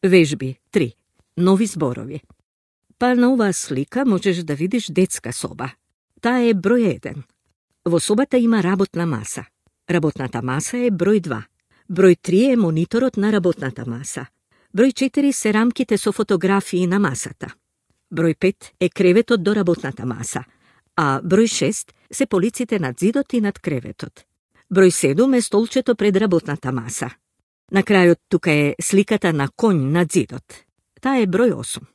Вежби 3. Нови зборови. Па на оваа слика можеш да видиш детска соба. Таа е број 1. Во собата има работна маса. Работната маса е број 2. Број 3 е мониторот на работната маса. Број 4 се рамките со фотографии на масата. Број 5 е креветот до работната маса, а број 6 се полиците над зидот и над креветот. Број 7 е столчето пред работната маса. На крајот тука е сликата на коњ над зидот. Таа е број 8.